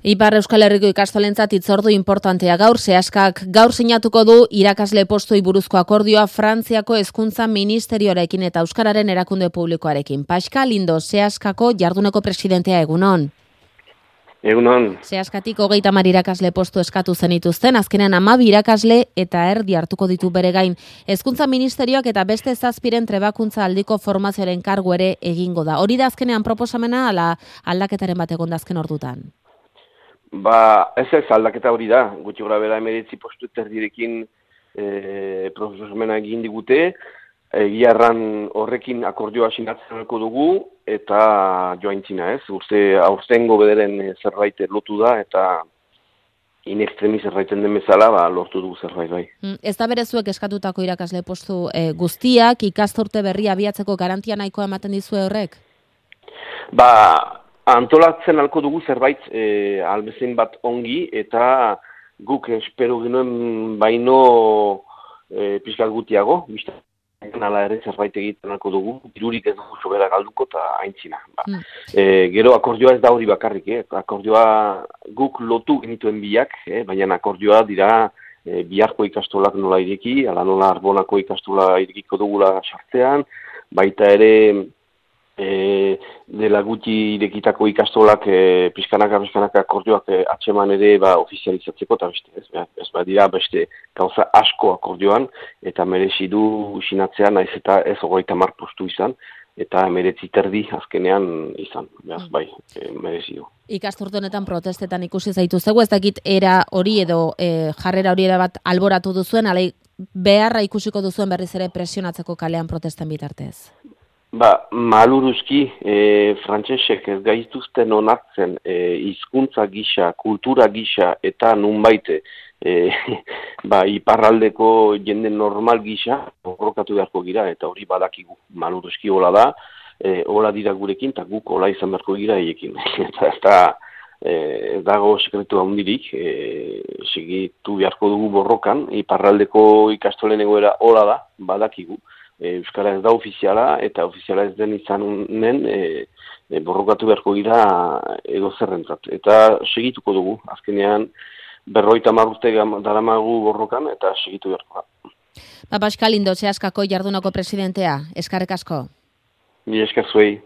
Ipar Euskal Herriko ikastolentzat hitzordu importantea gaur, Seaskak gaur sinatuko du irakasle postoi buruzko akordioa Frantziako hezkuntza ministerioarekin eta euskararen erakunde publikoarekin. Pascal Lindo, Seaskako jarduneko presidentea, egunon. Egunon. Seaskatik 30 irakasle postu eskatu zenituzten, azkenean 12 irakasle eta erdi hartuko ditu bere gain. Hezkuntza ministerioak eta beste 7 trebakuntza aldiko formazioaren kargu ere egingo da. Hori da azkenean proposamena ala aldaketaren bat egon da azken ordutan? Ez aldaketa hori da, gutxi gora bera 19 postu erdirekin proposamena egin digute, egiarran horrekin akordioa sinatzen dugu eta joaintzina ez, aurtengo bederen zerbait lotu da eta in extremi zerbaiten den bezala lortu dugu zerbait bai. Ez da berezuek eskatutako irakasle postu guztiak, ikasturte berria abiatzeko garantia nahikoa ematen dizue horrek? Antolatzen alko dugu zerbait albezen bat ongi eta guk espero genuen baino pixkat gutiago, nala ere zerbait egiten alko dugu, dirurik ez dugu sobera galduko eta aintzina. Gero akordioa ez da hori bakarrik, akordioa guk lotu genituen biak, baina akordioa dira biharko ikastolak nola ireki, ala nola Arbonako ikastola irekiko dugula sartzean, baita ere dela gutxi irekitako ikastolak pixkanaka akordioak atxeman ere ofizializatzeko eta beste dira beste gauza asko akordioan eta merezi du sinatzea naiz eta ez 30 postu izan eta 19 terdi azkenean izan, merezi du. Ikasturte honetan protestetan ikusi zaituztegu, ez dakit era hori edo jarrera hori bat alboratu duzuen, alai beharra ikusiko duzuen berriz ere presionatzeko kalean protesten bitartez? Maluruzki, frantsesek ez gaituzten onartzen hizkuntza gisa, kultura gisa eta nunbait iparraldeko jende normal gisa borrokatu beharko gira eta hori badakigu. Maluruzki hola da, hola dira gurekin eta guk hola izan beharko gira eiekin. Eta ez dago sekretu handirik, segitu beharko dugu borrokan, iparraldeko ikastolen egoera hola da, badakigu. Euskara ez da ofiziala eta ofiziala ez den izanen borrokatu beharko gira edozerrentzat. Eta segituko dugu, azkenean 50 urte daramagu borrokan eta segitu beharko da. Pascal Lindo, Seaskako jardunako presidentea, eskerrik asko. Ni esker zuei.